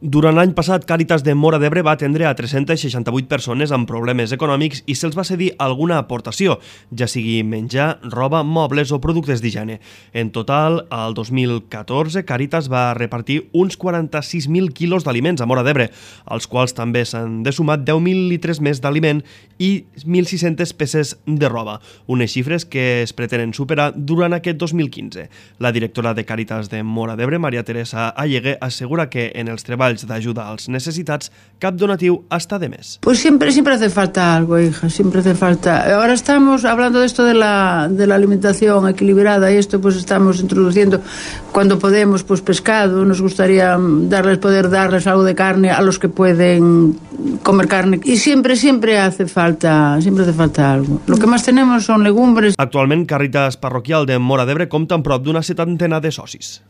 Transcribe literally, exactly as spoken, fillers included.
Durant l'any passat, Càritas de Móra d'Ebre va atendre a tres-centes seixanta-vuit persones amb problemes econòmics i se'ls va cedir alguna aportació, ja sigui menjar, roba, mobles o productes d'higiene. En total, al dos mil catorze, Càritas va repartir uns quaranta-sis mil quilos d'aliments a Móra d'Ebre, als quals també s'han de sumar deu mil litres més d'aliment i mil sis-centes peces de roba, unes xifres que es pretenen superar durant aquest dos mil quinze. La directora de Càritas de Móra d'Ebre, María Teresa Allegué, assegura que en els treballs de ayuda als necesitats, cap donatiu hasta de mes. Pues siempre, siempre hace falta algo, hija, siempre hace falta. Ahora estamos hablando de esto de la, de la alimentación equilibrada y esto pues estamos introduciendo cuando podemos pues pescado, nos gustaría darles, poder darles algo de carne a los que pueden comer carne y siempre, siempre hace falta, siempre hace falta algo. Lo que más tenemos son legumbres. Actualment, Càritas Parroquial de Móra d'Ebre compta amb prop d'una setantena de socis.